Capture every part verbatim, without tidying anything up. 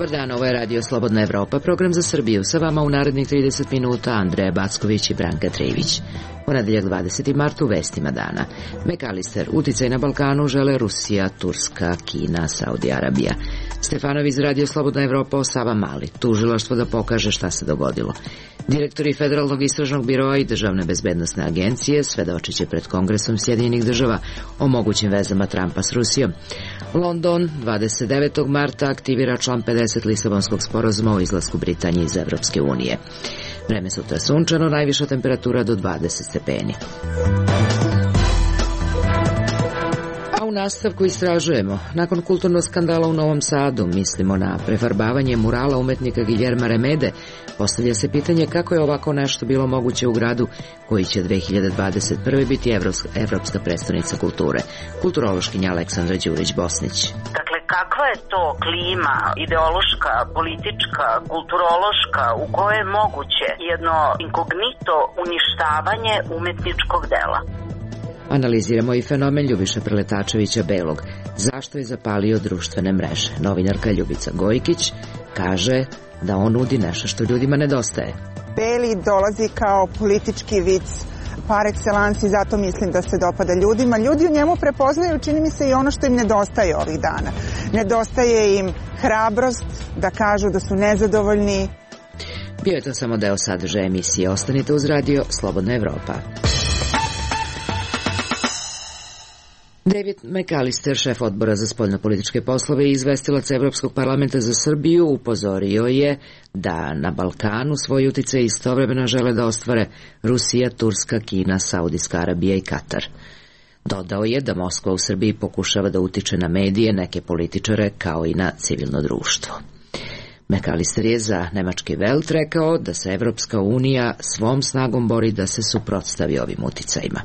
Dobar dan, ovo je Radio Slobodna Evropa, program za Srbiju. Sa vama u narednih trideset minuta Andreja Backović i Branka Trević. Ponedeljak dvadeseti mart u vestima dana. McAllister, uticaj na Balkanu žele Rusija, Turska, Kina, Saudi Arabija. Stefanović iz Radio Slobodna Evropa o Savamali, tužilaštvo da pokaže šta se dogodilo. Direktori Federalnog istražnog biroa i Državne bezbednosne agencije svedočiće pred Kongresom Sjedinjenih država o mogućim vezama Trumpa s Rusijom. London dvadeset devetog marta aktivira član pedeset Lisabonskog sporazuma o izlasku Britanije iz Evropske unije. Vreme sutra sunčano, najviša temperatura do dvadeset stepeni. A u nastavku istražujemo. Nakon kulturnog skandala u Novom Sadu, mislimo na prefarbavanje murala umetnika Guillerma Remede, postavlja se pitanje kako je ovako nešto bilo moguće u gradu koji će dve hiljade dvadeset prve biti evropska, evropska prestonica kulture. Kulturološkinja Aleksandra Đurić-Bosnić. Dakle, kakva je to klima ideološka, politička, kulturološka u kojoj je moguće jedno inkognito uništavanje umetničkog dela? Analiziramo i fenomen Ljubiše Preletačevića Belog. Zašto je zapalio društvene mreže? Novinarka Ljubica Gojkić kaže da on nudi nešto što ljudima nedostaje. Beli dolazi kao politički vic par excellence i zato mislim da se dopada ljudima. Ljudi u njemu prepoznaju, čini mi se, i ono što im nedostaje ovih dana. Nedostaje im hrabrost da kažu da su nezadovoljni. Bio je to samo deo sadržaja emisije. Ostanite uz Radio Slobodna Evropa. David McAllister, šef odbora za spoljnopolitičke poslove i izvestilac Evropskog parlamenta za Srbiju, upozorio je da na Balkanu svoj uticaj istovremeno žele da ostvare Rusija, Turska, Kina, Saudijska Arabija i Katar. Dodao je da Moskva u Srbiji pokušava da utiče na medije, neke političare, kao i na civilno društvo. McAllister je za nemački Welt rekao da se Evropska unija svom snagom bori da se suprotstavi ovim uticajima.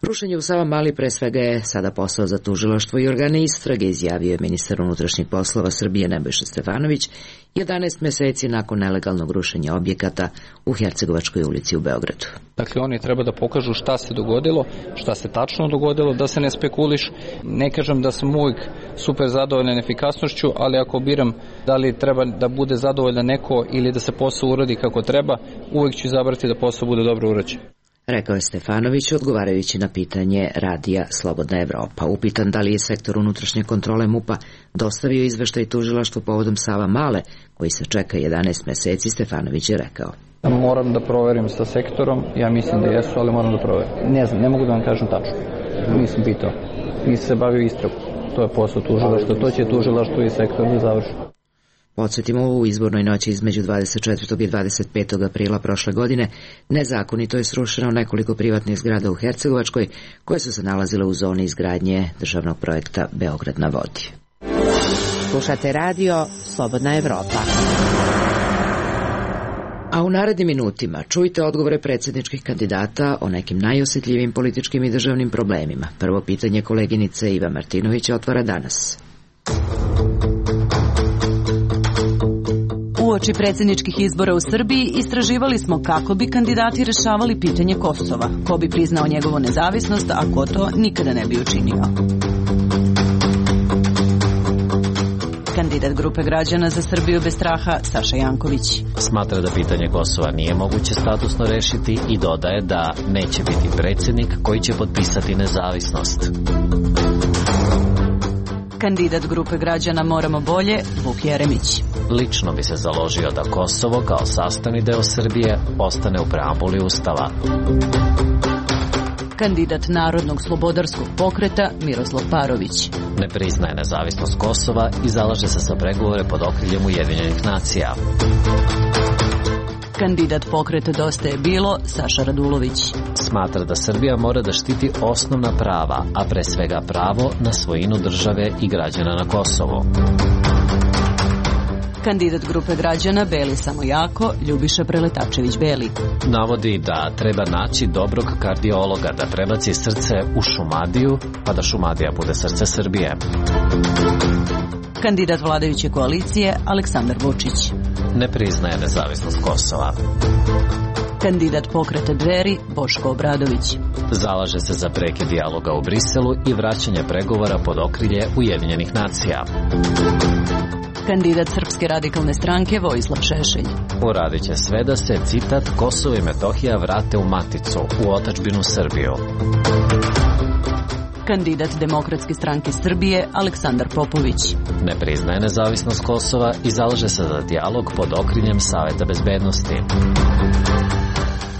Rušenje u Savamali pre svega je sada posao za tužilaštvo i organe istrage, izjavio je ministar unutrašnjih poslova Srbije Nebojša Stefanović jedanaest meseci nakon nelegalnog rušenja objekata u Hercegovačkoj ulici u Beogradu. Dakle, oni treba da pokažu šta se dogodilo, šta se tačno dogodilo, da se ne spekuliš. Ne kažem da sam uvijek super zadovoljan efikasnošću, ali ako biram da li treba da bude zadovoljan neko ili da se posao uradi kako treba, uvijek ću izabrati da posao bude dobro urađen. Rekao je Stefanović odgovarajući na pitanje Radija Slobodna Evropa. Upitan da li je sektor unutrašnje kontrole MUP-a dostavio izveštaj tužilaštvu povodom Savamale, koji se čeka jedanaest meseci, Stefanović je rekao. Moram da proverim sa sektorom, ja mislim da jesu, ali moram da proverim. Ne znam, ne mogu da vam kažem tačno. Nisam pitao, nisam se bavio istragom. To je posao tužilaštva, to će tužilaštvo i sektor da završi. Podsjetimo, u izbornoj noći između dvadeset četvrtog i dvadeset petog aprila prošle godine nezakonito je srušeno nekoliko privatnih zgrada u Hercegovačkoj koje su se nalazile u zoni izgradnje državnog projekta Beograd na vodi. Slušate Radio Slobodna Evropa. A u narednim minutima čujte odgovore predsjedničkih kandidata o nekim najosjetljivim političkim i državnim problemima. Prvo pitanje koleginice Iva Martinovića otvara danas. Uoči predsjedničkih izbora u Srbiji istraživali smo kako bi kandidati rešavali pitanje Kosova, ko bi priznao njegovu nezavisnost, a ko to nikada ne bi učinio. Kandidat grupe građana za Srbiju bez straha, Saša Janković. Smatra da pitanje Kosova nije moguće statusno rešiti i dodaje da neće biti predsjednik koji će potpisati nezavisnost. Kandidat grupe građana Moramo bolje, Vuk Jeremić. Lično bi se založio da Kosovo kao sastavni deo Srbije ostane u preambuli Ustava. Kandidat Narodnog slobodarskog pokreta Miroslav Parović. Ne priznaje nezavisnost Kosova i zalaže se za pregovore pod okriljem Ujedinjenih nacija. Kandidat pokreta Dosta je bilo, Saša Radulović. Smatra da Srbija mora da štiti osnovna prava, a pre svega pravo na svojinu države i građana na Kosovu. Kandidat grupe građana Beli samo jako, Ljubiša Preletačević Beli. Navodi da treba naći dobrog kardiologa da prebaci srce u Šumadiju, pa da Šumadija bude srce Srbije. Kandidat vladajuće koalicije Aleksandar Vučić. Ne priznaje nezavisnost Kosova. Kandidat pokreta Dveri Boško Obradović. Zalaže se za prekid dijaloga u Briselu i vraćanje pregovora pod okrilje Ujedinjenih nacija. Kandidat Srpske radikalne stranke Vojislav Šešelj. Uradit će sve da se, citat, Kosovo i Metohija vrate u maticu, u otadžbinu Srbiju. Kandidat Demokratske stranke Srbije Aleksandar Popović. Ne priznaje nezavisnost Kosova i zalaže se za dijalog pod okriljem Saveta bezbednosti.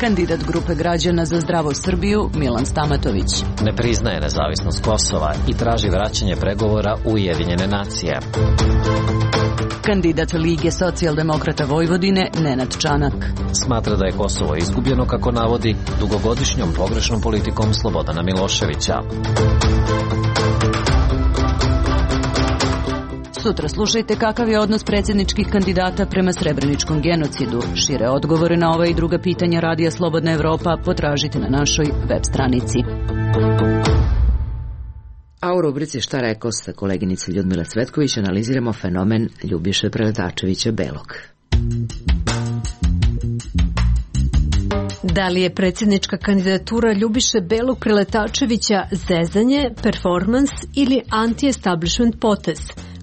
Kandidat Grupe građana za zdravu Srbiju Milan Stamatović. Ne priznaje nezavisnost Kosova i traži vraćanje pregovora u Ujedinjene nacije. Kandidat Lige socijaldemokrata Vojvodine Nenad Čanak. Smatra da je Kosovo izgubljeno, kako navodi, dugogodišnjom pogrešnom politikom Slobodana Miloševića. Sutra slušajte kakav je odnos predsjedničkih kandidata prema srebreničkom genocidu. Šire odgovore na ova i druga pitanja Radija Slobodna Evropa potražite na našoj web stranici. A u rubrici Šta rekao sa koleginice Ljudmile Cvetković analiziramo fenomen Ljubiše Preletačevića Belog. Da li je predsjednička kandidatura Ljubiše Belog Preletačevića zezanje, performans ili anti-establishment potez?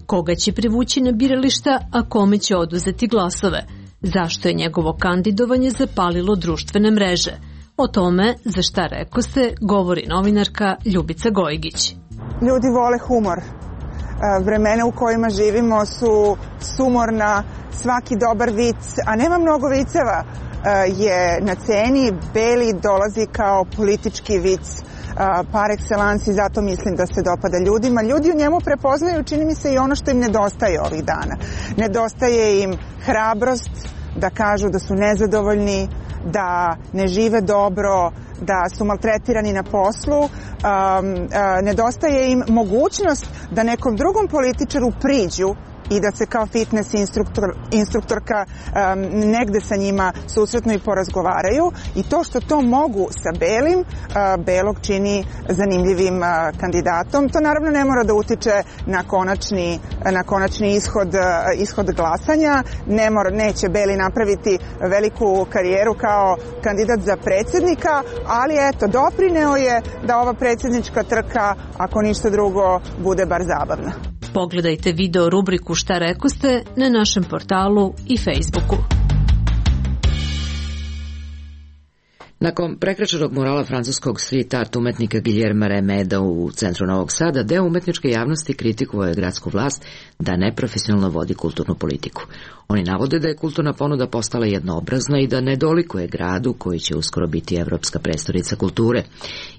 Koga će privući na birališta, a kome će oduzeti glasove? Zašto je njegovo kandidovanje zapalilo društvene mreže? O tome, za Šta rekoste, govori novinarka Ljubica Gojgić. Ljudi vole humor. Vremena u kojima živimo su sumorna, svaki dobar vic, a nema mnogo viceva, je na ceni. Beli dolazi kao politički vic par excellence i zato mislim da se dopada ljudima. Ljudi u njemu prepoznaju, čini mi se, i ono što im nedostaje ovih dana. Nedostaje im hrabrost da kažu da su nezadovoljni, da ne žive dobro, da su maltretirani na poslu. Um, uh, nedostaje im mogućnost da nekom drugom političaru priđu i da se kao fitness instruktor, instruktorka um, negde sa njima susretno i porazgovaraju. I to što to mogu sa Belim, uh, Belog čini zanimljivim uh, kandidatom. To naravno ne mora da utiče na konačni, na konačni ishod, uh, ishod glasanja. Ne mora, neće Beli napraviti veliku karijeru kao kandidat za predsjednika, ali eto, doprineo je da ova predsjednička trka, ako ništa drugo, bude bar zabavna. Pogledajte video rubriku Šta rekoste na našem portalu i Facebooku. Nakon prekrečenog murala francuskog street art umetnika Guillerma Remeda u centru Novog Sada, deo umetničke javnosti kritikovao je gradsku vlast da neprofesionalno vodi kulturnu politiku. Oni navode da je kulturna ponuda postala jednoobrazna i da ne dolikuje gradu koji će uskoro biti evropska prestonica kulture.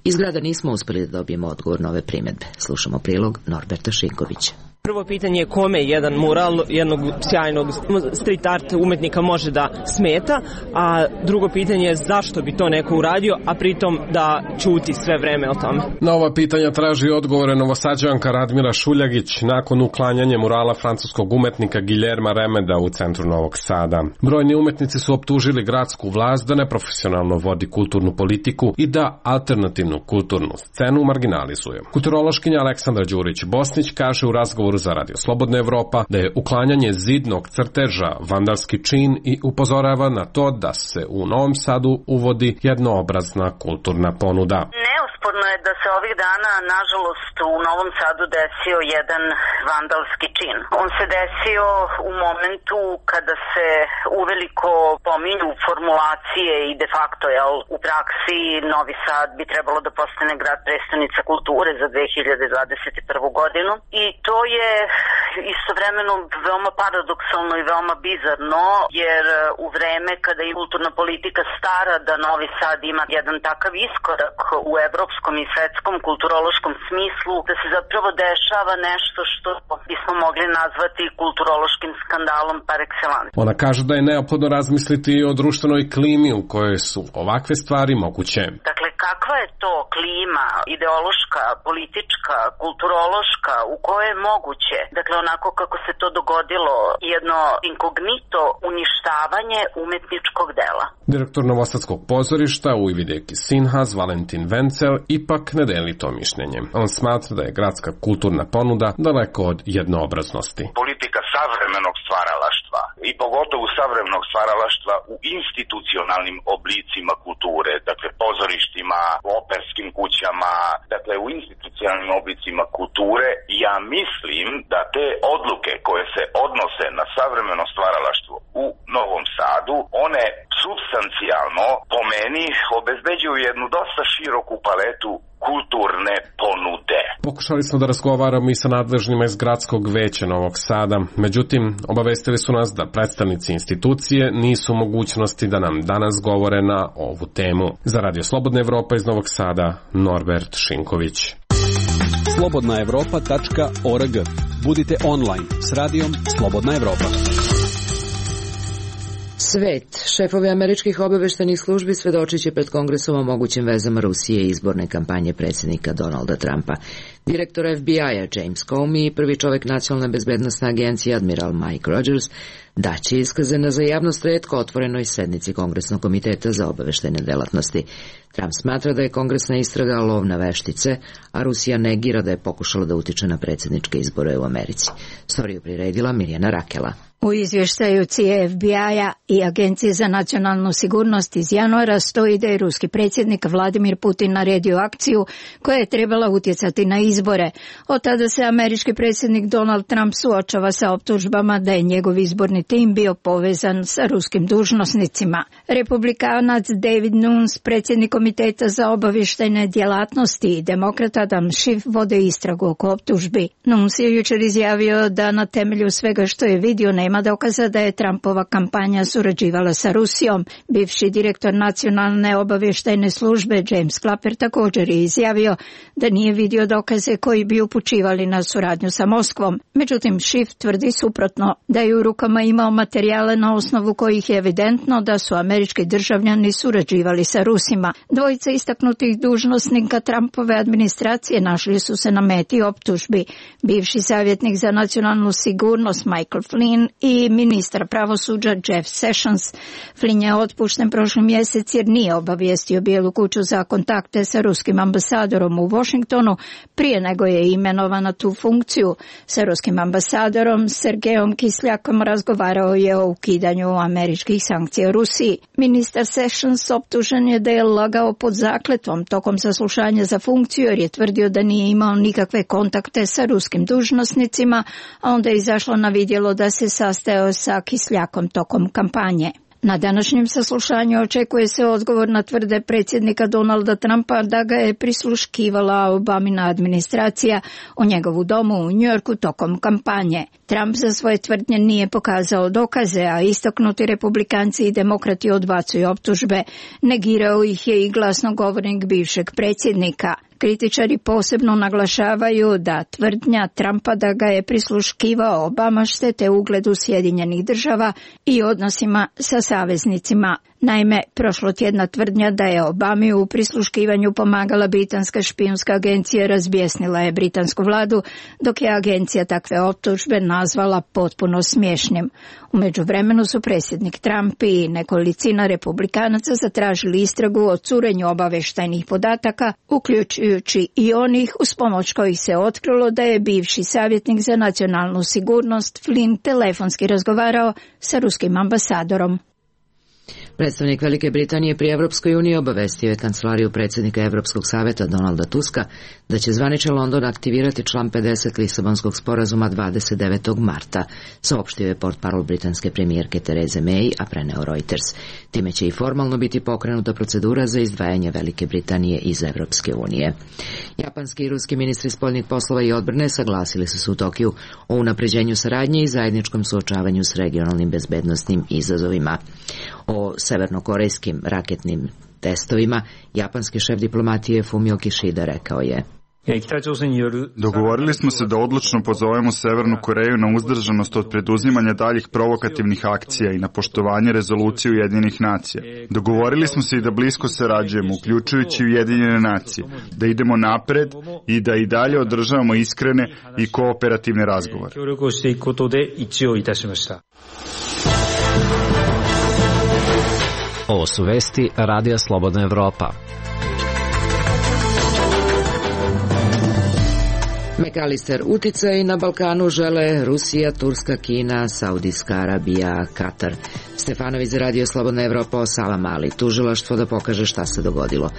Iz grada nismo uspeli da dobijemo odgovor na ove primedbe. Slušamo prilog Norberta Šinkovića. Prvo pitanje je kome jedan mural jednog sjajnog street art umetnika može da smeta, a drugo pitanje je zašto bi to neko uradio, a pritom da ćuti sve vreme o tome. Na ova pitanja traži odgovore Novosađanka Radmila Šuljagić nakon uklanjanja murala francuskog umetnika Guillerma Remeda u centru Novog Sada. Brojni umetnici su optužili gradsku vlast da neprofesionalno vodi kulturnu politiku i da alternativnu kulturnu scenu marginalizuje. Kulturološkinja Aleksandra Đurić-Bosnić kaže u razgovoru za Radio Slobodna Evropa da je uklanjanje zidnog crteža vandalski čin i upozorava na to da se u Novom Sadu uvodi jednoobrazna kulturna ponuda. Neosporno je da se ovih dana, nažalost, u Novom Sadu desio jedan vandalski čin. On se desio u momentu kada se uveliko pominju formulacije i de facto, jel, u praksi Novi Sad bi trebalo da postane grad prestonica kulture za dve hiljade dvadeset prvu godinu. I to je istovremeno veoma paradoksalno i veoma bizarno, jer u vreme kada je kulturna politika stara da Novi Sad ima jedan takav iskorak u evropskom i svetskom kulturološkom smislu, da se zapravo dešava nešto što bismo mogli nazvati kulturološkim skandalom par excellence. Ona kaže da je neophodno razmisliti i o društvenoj klimi u kojoj su ovakve stvari moguće. Dakle, kakva je to klima ideološka, politička, kulturološka u kojoj je moguće, dakle onako kako se to dogodilo, jedno inkognito uništavanje umetničkog dela. Direktor Novosadskog pozorišta Ujvideki Sinhas Valentin Vencel ipak ne deli to mišljenje. On smatra da je gradska kulturna ponuda daleko od jednoobraznosti. Politika savremenog stvaralaštva i pogotovo savremenog stvaralaštva u institucionalnim oblicima kulture, dakle pozorištima, teatrima, operskim kućama, dakle u institucionalnim oblicima kulture. Ja mislim da te odluke koje se odnose na savremeno stvaralaštvo u Novom Sadu, one supstancijalno po meni obezbeđuju jednu dosta široku paletu kulturne ponude. Pokušali smo da razgovaramo i sa nadležnima iz Gradskog veća Novog Sada, međutim, obavestili su nas da predstavnici institucije nisu u mogućnosti da nam danas govore na ovu temu. Za Radio Slobodna Evropa iz Novog Sada, Norbert Šinković. slobodna evropa tačka org. Budite online s radijom Slobodna Evropa. Svet. Šefovi američkih obaveštajnih službi svedočit će pred Kongresom o mogućim vezama Rusije i izborne kampanje predsjednika Donalda Trumpa. Direktor F B I-a James Comey i prvi čovjek Nacionalne bezbednosne agencije admiral Mike Rogers daće iskaze na za javnost retko otvorenoj sednici Kongresnog komiteta za obaveštajne delatnosti. Trump smatra da je kongresna istraga lov na veštice, a Rusija negira da je pokušala da utiče na predsjedničke izbore u Americi. Storiju priredila Mirjana Rakela. U izvještaju C I A F B I-a i Agencije za nacionalnu sigurnost iz januara stoji da je ruski predsjednik Vladimir Putin naredio akciju koja je trebala utjecati na izbore. Od tada se američki predsjednik Donald Trump suočava sa optužbama da je njegov izborni tim bio povezan sa ruskim dužnosnicima. Republikanac David Nunes, predsjednik komiteta za obavještajne djelatnosti, i demokrat Adam Schiff vode istragu oko optužbi. Nunes je jučer izjavio da na temelju svega što je vidio nema dokaza da je Trumpova kampanja surađivala sa Rusijom. Bivši direktor nacionalne obavještajne službe James Clapper također je izjavio da nije vidio dokaze koji bi upućivali na suradnju sa Moskvom. Međutim, Schiff tvrdi suprotno, da je u rukama imao materijale na osnovu kojih je evidentno da su američki državljani surađivali sa Rusima. Dvojica istaknutih dužnosnika Trumpove administracije našli su se na meti optužbi. Bivši savjetnik za nacionalnu sigurnost Michael Flynn i ministar pravosuđa Jeff Sessions. Flynn je otpušten prošli mjesec jer nije obavijestio Bijelu kuću za kontakte sa ruskim ambasadorom u Washingtonu prije nego je imenovan na tu funkciju. Sa ruskim ambasadorom Sergejom Kisljakom razgovarao je o ukidanju američkih sankcija Rusiji. Ministar Sessions optužen je da je lagao pod zakletvom tokom saslušanja za funkciju jer je tvrdio da nije imao nikakve kontakte sa ruskim dužnosnicima, a onda je izašlo na vidjelo da se sastajao sa Kisljakom tokom kampanje. Na današnjem saslušanju očekuje se odgovor na tvrde predsjednika Donalda Trumpa da ga je prisluškivala Obamina administracija u njegovu domu u Njujorku tokom kampanje. Trump za svoje tvrdnje nije pokazao dokaze, a istaknuti republikanci i demokrati odbacuju optužbe. Negirao ih je i glasnogovornik bivšeg predsjednika. Kritičari posebno naglašavaju da tvrdnja Trumpa da ga je prisluškivao Obama štete ugledu Sjedinjenih država i odnosima sa saveznicima. Naime, prošlotjedna tvrdnja da je Obami u prisluškivanju pomagala britanska špijunska agencija razbjesnila je britansku vladu, dok je agencija takve optužbe nazvala potpuno smiješnim. U međuvremenu su predsjednik Trump i nekolicina republikanaca zatražili istragu o curenju obavještajnih podataka, uključujući i onih uz pomoć kojih se otkrilo da je bivši savjetnik za nacionalnu sigurnost Flynn telefonski razgovarao sa ruskim ambasadorom. Predstavnik Velike Britanije pri Evropskoj uniji obavestio je kancelariju predsjednika Evropskog savjeta Donalda Tuska da će zvaničan London aktivirati član pedeset Lisabonskog sporazuma dvadeset devetog marta, saopštio je portparol britanske premijerke Therese May, a preneo Reuters. Time će i formalno biti pokrenuta procedura za izdvajanje Velike Britanije iz Evropske unije. Japanski i ruski ministri spoljnih poslova i odbrane saglasili su se u Tokiju o unapređenju saradnje i zajedničkom suočavanju s regionalnim bezbednosnim izazovima. O severnokorejskim raketnim testovima japanski šef diplomatije Fumio Kishida rekao je: Dogovorili smo se da odlučno pozovemo Severnu Koreju na uzdržanost od preduzimanja daljih provokativnih akcija i na poštovanje rezolucije Ujedinjenih nacija. Dogovorili smo se i da blisko sarađujemo, uključujući Ujedinjene nacije, da idemo napred i da i dalje održavamo iskrene i kooperativne razgovore. Ovo su vesti Radija Slobodna Evropa. McAllister uticaj na Balkanu žele Rusija, Turska, Kina, Saudijska Arabija, Katar. Stefanović za Radio Slobodna Evropa o Savamali, tužilaštvo da pokaže šta se dogodilo.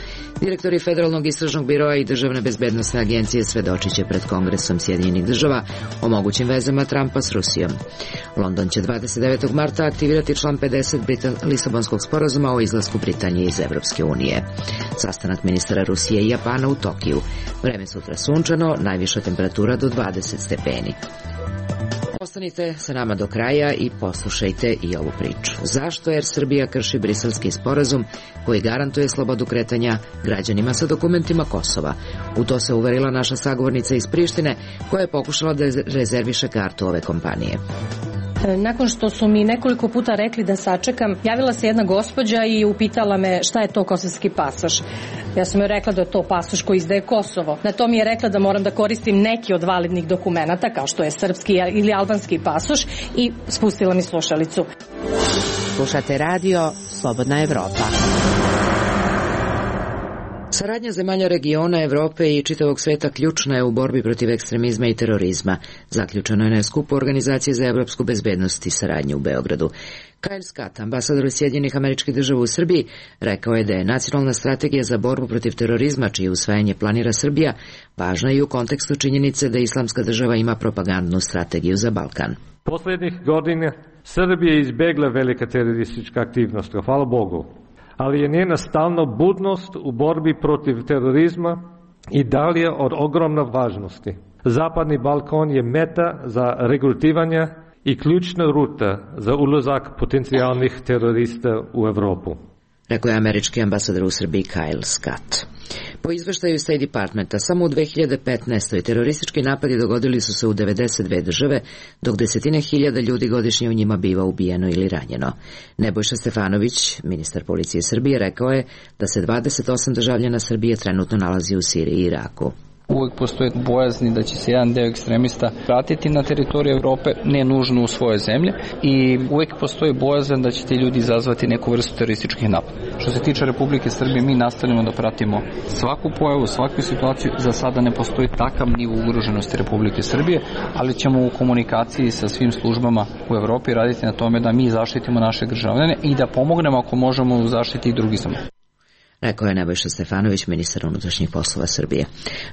Direktori Federalnog istražnog biroa i Državne bezbednosne agencije svedočit će pred Kongresom Sjedinjenih država o mogućim vezama Trumpa s Rusijom. London će dvadeset devetog marta aktivirati član pedeset Britan- Lisabonskog sporazuma o izlasku Britanije iz Evropske unije. Sastanak ministara Rusije i Japana u Tokiju. Vreme sutra sunčano, najviša temperatura do dvadeset stepeni. Ostanite sa nama do kraja i poslušajte i ovu priču. Zašto Air Srbija krši briselski sporazum koji garantuje slobodu kretanja građanima sa dokumentima Kosova? U to se uverila naša sagovornica iz Prištine koja je pokušala da rezerviše kartu ove kompanije. Nakon što su mi nekoliko puta rekli da sačekam, javila se jedna gospođa i upitala me šta je to kosovski pasoš. Ja sam joj rekla da je to pasoš koji izdaje Kosovo. Na to mi je rekla da moram da koristim neki od validnih dokumenata, kao što je srpski ili albanski pasoš, i spustila mi slušalicu. Slušate radio Slobodna Evropa. Saradnja zemalja regiona, Evrope i čitavog sveta ključna je u borbi protiv ekstremizma i terorizma. Zaključeno je na skupu Organizacije za evropsku bezbednost i saradnju u Beogradu. Kyle Scott, ambasador Sjedinjenih Američkih Država u Srbiji, rekao je da je nacionalna strategija za borbu protiv terorizma, čije usvajanje planira Srbija, važna i u kontekstu činjenice da Islamska država ima propagandnu strategiju za Balkan. Poslednjih godina Srbija je izbegla velika teroristička aktivnost, hvala Bogu. Ali je njena stalna budnost u borbi protiv terorizma i dalje od ogromne važnosti. Zapadni Balkan je meta za regrutiranje i ključna ruta za ulazak potencijalnih terorista u Evropu. Rekao je američki ambasador u Srbiji Kyle Scott. Po izveštaju State Departmenta, samo u dve hiljade petnaestoj. teroristički napadi dogodili su se u devedeset dve države, dok desetine hiljada ljudi godišnje u njima biva ubijeno ili ranjeno. Nebojša Stefanović, ministar policije Srbije, rekao je da se dvadeset osam državljana Srbije trenutno nalazi u Siriji i Iraku. Uvijek postoje bojazni da će se jedan deo ekstremista vratiti na teritoriju Evrope, ne nužno u svoje zemlje, i uvijek postoji bojazan da će ti ljudi izazvati neku vrstu terorističkih napada. Što se tiče Republike Srbije, mi nastavljamo da pratimo svaku pojavu, svaku situaciju. Za sada ne postoji takav nivo ugroženosti Republike Srbije, ali ćemo u komunikaciji sa svim službama u Evropi raditi na tome da mi zaštitimo naše državljane i da pomognemo ako možemo u zaštiti i drugih zemalja. Rekao je Nebojša Stefanović, ministar unutrašnjih poslova Srbije.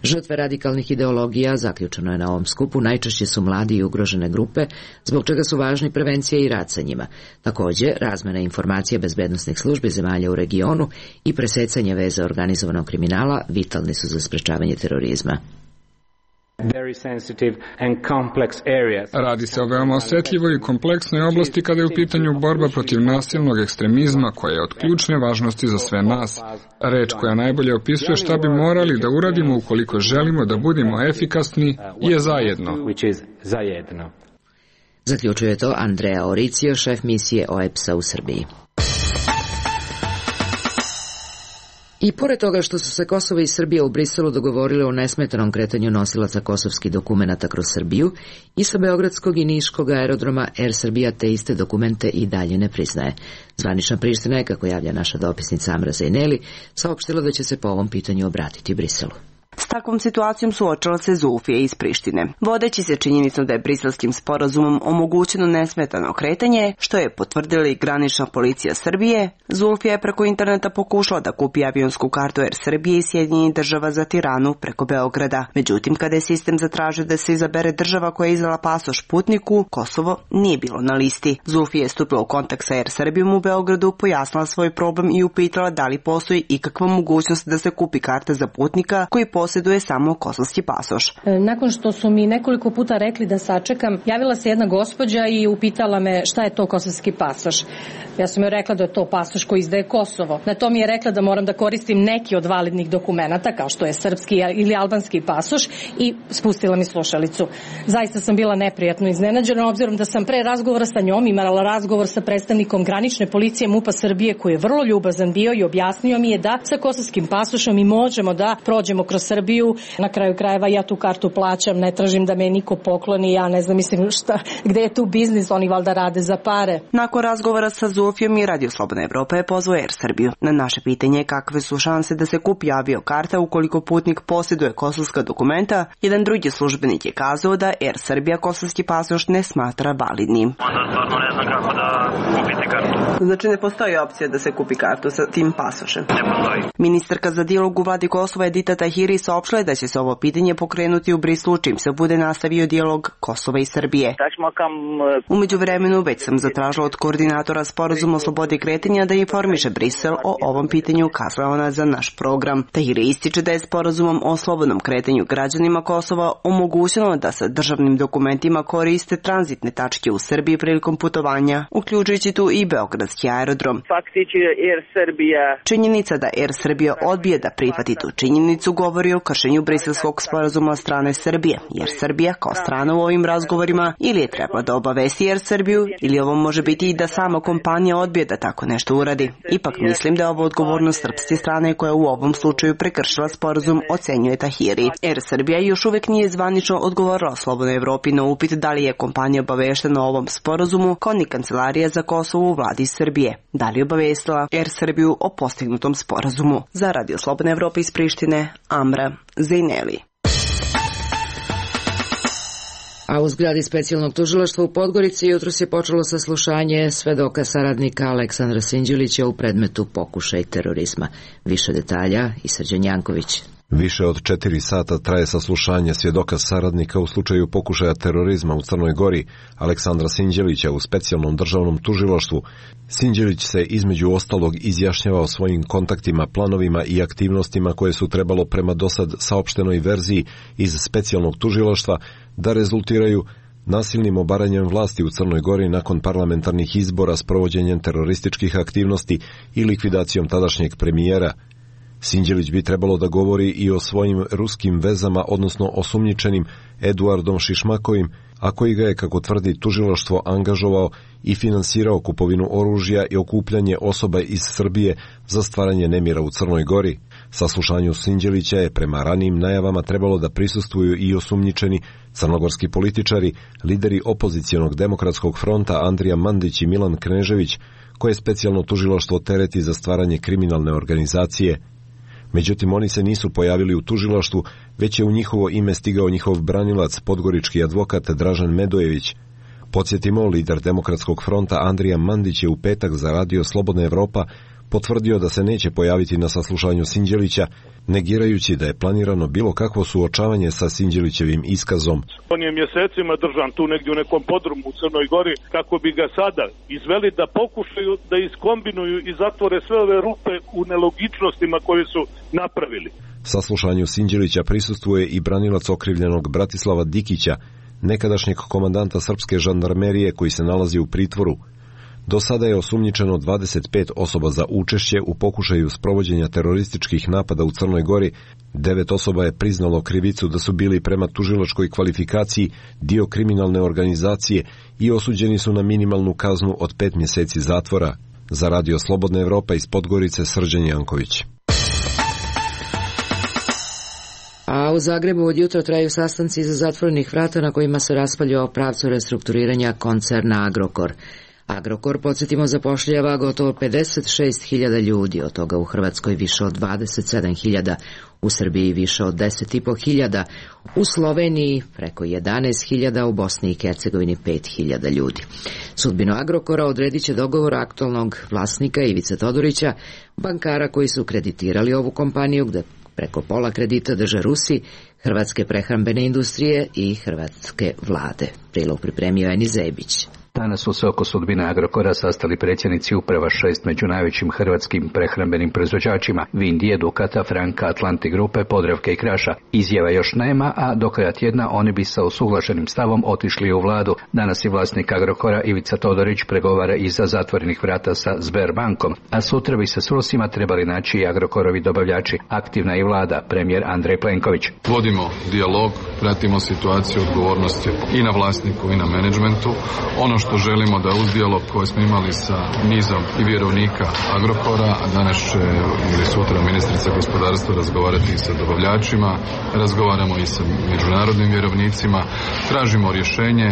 Žrtve radikalnih ideologija, zaključeno je na ovom skupu, najčešće su mladi i ugrožene grupe, zbog čega su važni prevencija i rad sa njima. Također, razmena informacija bezbednosnih službi zemalja u regionu i presecanje veza organizovanog kriminala vitalni su za sprečavanje terorizma. Radi se o veoma osetljivoj i kompleksnoj oblasti kada je u pitanju borba protiv nasilnog ekstremizma koja je od ključne važnosti za sve nas. Reč koja najbolje opisuje šta bi morali da uradimo ukoliko želimo da budemo efikasni je zajedno. Zaključuje to Andrea Oricio, šef misije O E P S-a u Srbiji. I pored toga što su se Kosovo i Srbija u Briselu dogovorile o nesmetanom kretanju nosilaca kosovskih dokumenata kroz Srbiju, i sa beogradskog i niškog aerodroma Air Srbija te iste dokumente i dalje ne priznaje. Zvanična Priština je, kako javlja naša dopisnica Amra Zejneli, saopštila da će se po ovom pitanju obratiti Briselu. S takvom situacijom suočila se Zulfija iz Prištine, vodeći se činjenicom da je briselskim sporazumom omogućeno nesmetano kretanje, što je potvrdila i granična policija Srbije. Zulfija je preko interneta pokušala da kupi avionsku kartu Air Srbije i Sjedinjenih država za Tiranu preko Beograda. Međutim, kada je sistem zatražio da se izabere država koja je izdala pasoš putniku, Kosovo nije bilo na listi. Zulfija je stupila u kontakt sa Air Srbijom u Beogradu, pojasnila svoj problem i upitala da li postoji ikakva mogućnost da se kupi karta za putnika koji posjeduje samo kosovski pasoš. Nakon što su mi nekoliko puta rekli da sačekam, javila se jedna gospođa i upitala me šta je to kosovski pasoš. Ja sam joj rekla da je to pasoš koji izdaje Kosovo. Na to mi je rekla da moram da koristim neki od validnih dokumenata, kao što je srpski ili albanski pasoš, i spustila mi slušalicu. Zaista sam bila neprijatno iznenađena, obzirom da sam pre razgovora sa njom imala razgovor sa predstavnikom granične policije MUP-a Srbije, koji je vrlo ljubazan bio i objasnio mi je da sa kosovskim pasošom mi možemo da prođemo kroz Srbiju. Na kraju krajeva ja tu kartu plaćam, ne tražim da me niko pokloni, ja ne znam, mislim šta, gde je tu biznis, oni valjda rade za pare. Nakon razgovora sa Zufijom i Radio Slobodna Evropa je pozvao Air Srbiju. Na naše pitanje kakve su šanse da se kupi avio karta ukoliko putnik posjeduje kosovska dokumenta, jedan drugi službenik je kazao da Air Srbija kosovski pasoš ne smatra validnim. Onda stvarno ne znam kako da kupite kartu. Znači ne postoji opcija da se kupi kartu sa tim pasošem? Ne postoji. Ministarka za dijalog u vladi Kosova Edita Tahiri saopštila je da će se ovo pitanje pokrenuti u Brislu čim se bude nastavio dijalog Kosova i Srbije. Umeđu vremenu već sam zatražila od koordinatora sporazuma o slobodi kretanja da informiše Brisel o ovom pitanju, kazala ona za naš program. Tahiri ističe da je sporazumom o slobodnom kretanju građanima Kosova omogućeno da sa državnim dokumentima koriste tranzitne tačke u Srbiji prilikom putovanja, uključujući tu i beogradski aerodrom. Faktički Air Srbija. Činjenica da Air Srbija odbije da prihvati tu činjenicu govori o kršenju briselskog sporazuma od strane Srbije, jer Srbija kao strana u ovim razgovorima ili je treba da obavesti Air Srbiju ili ovo može biti i da sama kompanija odbije da tako nešto uradi. Ipak mislim da je ovo odgovornost srpske strane koja u ovom slučaju prekršila sporazum, ocenjuje Tahiri. Air Srbija još uvek nije zvanično odgovorila Slobodnoj Evropi na upit da li je kompanija obaveštena o ovom sporazumu, kao ni Kancelarija za Kosovo u vladi Srbije. Da li je obavestila Air Srbiju o postignutom sporazumu? Za Radio Slobodna Evropa iz Prištine, Amra Zejneli. A u zgradi specijalnog tužilaštva u Podgorici jutros je počelo saslušanje svedoka saradnika Aleksandra Sinđelića u predmetu pokušaj terorizma. Više detalja i Srđan Janković. Više od četiri sata traje saslušanje svjedoka saradnika u slučaju pokušaja terorizma u Crnoj Gori, Aleksandra Sinđelića u specijalnom državnom tužilaštvu. Sinđelić se između ostalog izjašnjava o svojim kontaktima, planovima i aktivnostima koje su trebalo prema dosad saopštenoj verziji iz specijalnog tužilaštva da rezultiraju nasilnim obaranjem vlasti u Crnoj Gori nakon parlamentarnih izbora s provođenjem terorističkih aktivnosti i likvidacijom tadašnjeg premijera. Sinđelić bi trebalo da govori i o svojim ruskim vezama, odnosno osumnjičenim Eduardom Šišmakovim, a koji ga je, kako tvrdi tužilaštvo, angažovao i finansirao kupovinu oružja i okupljanje osoba iz Srbije za stvaranje nemira u Crnoj Gori. Saslušanju Sinđelića je prema ranijim najavama trebalo da prisustvuju i osumnjičeni crnogorski političari, lideri opozicionog demokratskog fronta Andrija Mandić i Milan Knežević, koje specijalno tužilaštvo tereti za stvaranje kriminalne organizacije. Međutim, oni se nisu pojavili u tužilaštvu, već je u njihovo ime stigao njihov branilac, podgorički advokat Dražen Medojević. Podsjetimo, lider Demokratskog fronta Andrija Mandić je u petak za Radio Slobodna Evropa potvrdio da se neće pojaviti na saslušanju Sinđelića, negirajući da je planirano bilo kakvo suočavanje sa Sinđelićevim iskazom. On je mjesecima držan tu negdje u nekom podrumu u Crnoj Gori kako bi ga sada izveli da pokušaju da iskombinuju i zatvore sve ove rupe u nelogičnostima koje su napravili. Saslušanju Sinđelića prisustvuje i branilac okrivljenog Bratislava Dikića, nekadašnjeg komandanta srpske žandarmerije koji se nalazi u pritvoru. Do sada je osumnjičeno dvadeset pet osoba za učešće u pokušaju sprovođenja terorističkih napada u Crnoj Gori. Devet osoba je priznalo krivicu da su bili prema tužilačkoj kvalifikaciji dio kriminalne organizacije i osuđeni su na minimalnu kaznu od pet mjeseci zatvora. Za Radio Slobodna Evropa iz Podgorice, Srđan Janković. A u Zagrebu od jutra traju sastanci iza zatvorenih vrata na kojima se raspravlja o pravcu restrukturiranja koncerna Agrokor. Agrokor, podsjetimo, zapošljava gotovo pedeset šest hiljada ljudi, od toga u Hrvatskoj više od dvadeset sedam hiljada, u Srbiji više od deset i po hiljada, u Sloveniji preko jedanaest hiljada, u Bosni i Hercegovini pet hiljada ljudi. Sudbinu Agrokora odredit će dogovor aktualnog vlasnika Ivice Todorića, bankara koji su kreditirali ovu kompaniju, gde preko pola kredita drže Rusi, hrvatske prehrambene industrije i hrvatske vlade. Prilog pripremio Eni Zebić. Danas su se oko sudbine Agrokora sastali predsjednici uprava šest među najvećim hrvatskim prehrambenim proizvođačima: Vindije, Dukata, Franka, Atlantik grupe, Podravke i Kraša. Izjava još nema, a do kraja tjedna oni bi sa usuglašenim stavom otišli u vladu. Danas je vlasnik Agrokora Ivica Todorić pregovara iza zatvorenih vrata sa Sberbankom, a sutra bi se s Rusima trebali naći i Agrokorovi dobavljači. Aktivna i vlada, premijer Andrej Plenković. Vodimo dijalog, pratimo situaciju, odgovornosti i na vlasniku i na menadžmentu. Ono što želimo da uz dijalog koji smo imali sa nizom i vjerovnika Agrokora, a danas će ili sutra ministrica gospodarstva razgovarati i sa dobavljačima, razgovaramo i sa međunarodnim vjerovnicima, tražimo rješenje,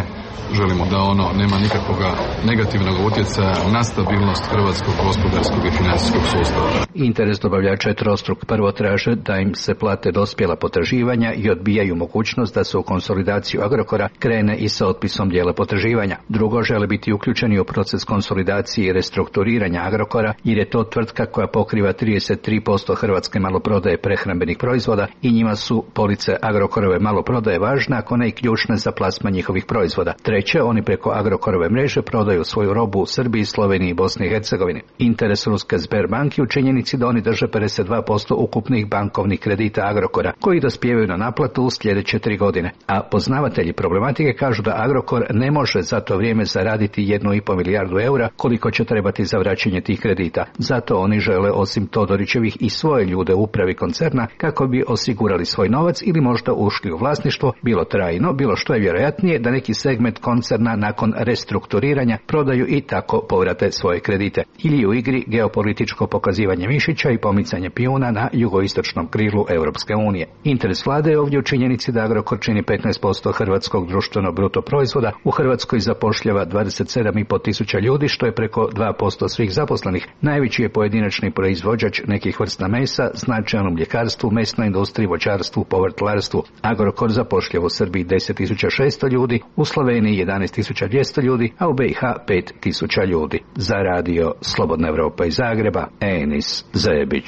želimo da ono nema nikakvog negativnog utjecaja na stabilnost hrvatskog gospodarskog i financijskog sustava. Interes dobavljača je trostruk. Prvo traže da im se plate dospjela potraživanja i odbijaju mogućnost da se u konsolidaciju Agrokora krene i sa otpisom dijela potraživanja. Drugo, žele biti uključeni u proces konsolidacije i restrukturiranja Agrokora, jer je to tvrtka koja pokriva trideset tri posto hrvatske maloprodaje prehrambenih proizvoda i njima su police Agrokorove maloprodaje važne, ako ne i ključne za plasman njihovih proizvoda. Treće, oni preko Agrokorove mreže prodaju svoju robu u Srbiji, Sloveniji i Bosni i Hercegovini. Interes ruske Sberbanke u činjenici da oni drže pedeset dva posto ukupnih bankovnih kredita Agrokora, koji dospijevaju na naplatu u sljedeće tri godine. A poznavatelji problematike kažu da Agrokor ne može za to vrijeme zaraditi jednu i pol milijardu eura koliko će trebati za vraćanje tih kredita. Zato oni žele osim Todorićevih i svoje ljude u upravi koncerna kako bi osigurali svoj novac ili možda ušli u vlasništvo, bilo trajno, bilo što je vjerojatnije da neki segment koncerna nakon restrukturiranja prodaju i tako povrate svoje kredite. Ili u igri geopolitičko pokazivanje mišića i pomicanje pijuna na jugoistočnom krilu Europske unije. Interes vlade je ovdje u činjenici da Agrokor čini petnaest posto hrvatskog društvenog bruto proizvoda, u Hrvatskoj zapošljava dvadeset sedam i pol tisuća ljudi, što je preko dva posto svih zaposlenih. Najveći je pojedinačni proizvođač nekih vrsta mesa, značajan u mljekarstvu, mesnoj industriji, voćarstvu, povrtlarstvu. Agrokor zapošljava u Srbiji deset tisuća šesto ljudi, u Sloveniji jedanaest tisuća dvjesto ljudi, a u B i H pet tisuća ljudi. Za radio Slobodna Evropa iz Zagreba, Enis Zebić.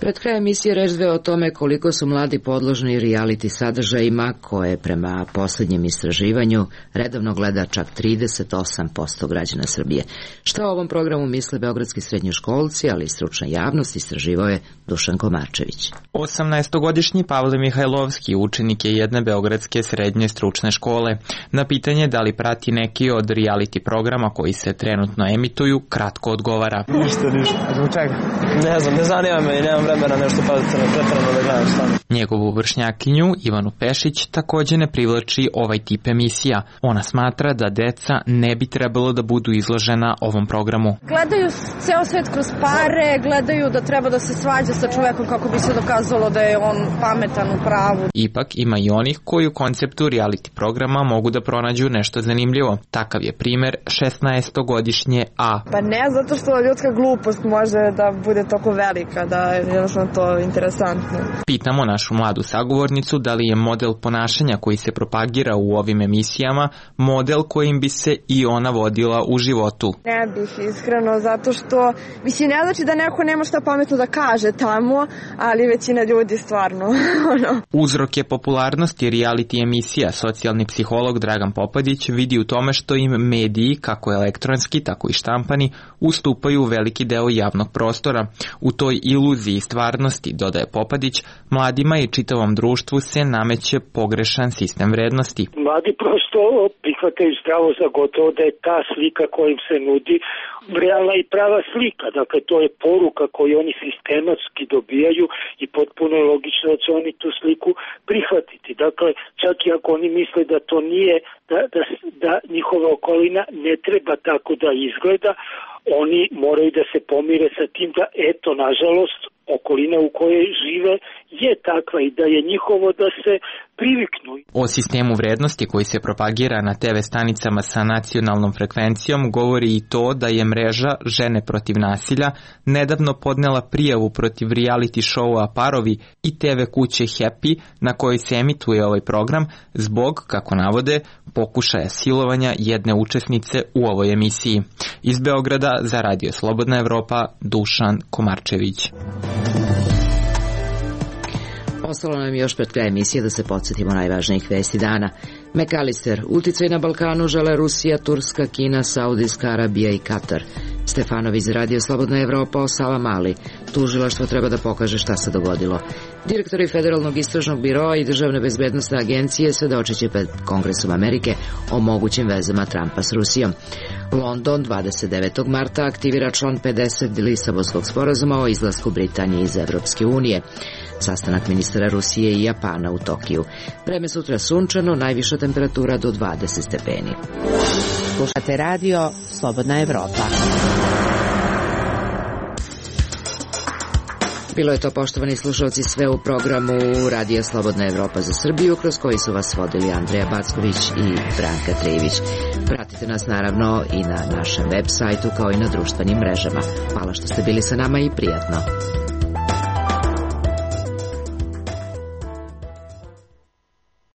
Pred krajem emisije reč dve o tome koliko su mladi podložni reality sadržajima koje prema posljednjem istraživanju redovno gleda čak trideset osam posto građana Srbije. Šta o ovom programu misle beogradski srednjoškolci, ali i stručna javnost, istraživao je Dušan Komarčević. osamnaestogodišnji Pavle Mihajlovski učenik je jedne beogradske srednje stručne škole. Na pitanje da li prati neki od reality programa koji se trenutno emituju, kratko odgovara. Ništa, ništa. Zbog čega? Ne znam, ne zanima me i nemam vremena nešto pretjerano da gledam šta. Njegovu vršnjakinju, Ivanu Pešić, takođe ne privlači ovaj tip emisija. Ona smatra da deca ne bi trebalo da budu izložena ovom programu. Gledaju ceo svet kroz pare, gledaju da treba da se svađa sa čovekom kako bi se dokazalo da je on pametan u pravu. Ipak ima i onih koji u konceptu reality programa mogu da pronađu nešto zanimljivo. Takav je primer šesnaestogodišnje A. Pa ne, zato što ljudska glupost može da bude toliko velika, da je jednostavno to interesantno. Pitamo našu mladu sagovornicu da li je model ponašanja koji se propagira u ovim emisijama model kojim bi se i ona vodila u životu. Ne bih, iskreno, zato što mislim, ne znači da neko nema šta pametno da kaže tamo, ali većina ljudi stvarno. Uzrok je popularnosti reality emisija. Socijalni psiholog Dragan Popadić vidi u tome što im mediji, kako elektronski, tako i štampani, ustupaju veliki deo javnog prostora. U toj iluziji stvarnosti, dodaje Popadić, mladima i čitavom društvu se nameće pogrešan sistem vrednosti. Mladi prosto prihvataju zdravo za gotovo da je ta slika koja im se nudi realna i prava slika. Dakle, to je poruka koju oni sistematski dobijaju i potpuno je logično da će oni tu sliku prihvatiti. Dakle, čak i ako oni misle da to nije, da, da, da njihova okolina ne treba tako da izgleda, oni moraju da se pomire sa tim da, eto, nažalost, okolina u kojoj žive je takva i da je njihovo da se priviknu. O sistemu vrednosti koji se propagira na te ve stanicama sa nacionalnom frekvencijom govori i to da je mreža Žene protiv nasilja nedavno podnela prijavu protiv reality showa Parovi i te ve kuće Happy na kojoj se emituje ovaj program zbog, kako navode, pokušaja silovanja jedne učesnice u ovoj emisiji. Iz Beograda za Radio Slobodna Evropa, Dušan Komarčević. Ostalo nam još pred kraj emisije da se podsjetimo najvažnijih vesti dana. McAllister, uticaj na Balkanu žele Rusija, Turska, Kina, Saudijska Arabija i Katar. Stefanović za Radio Slobodna Evropa o Savamali. Tužilaštvo treba da pokaže šta se dogodilo. Direktori Federalnog istražnog biroa i Državne bezbednostne agencije svedočeće pred Kongresom Amerike o mogućim vezama Trumpa s Rusijom. London dvadeset devetog marta aktivira član pedeset Lisabonskog sporazuma o izlasku Britanije iz Evropske unije. Sastanak ministara Rusije i Japana u Tokiju. Vreme sutra sunčano, najviša temperatura do dvadeset stepeni. Slušate radio Slobodna Evropa. Bilo je to, poštovani slušalci, sve u programu Radija Slobodna Evropa za Srbiju, kroz koji su vas vodili Andreja Backović i Branka Trivić. Pratite nas naravno i na našem web sajtu kao i na društvenim mrežama. Hvala što ste bili sa nama i prijatno.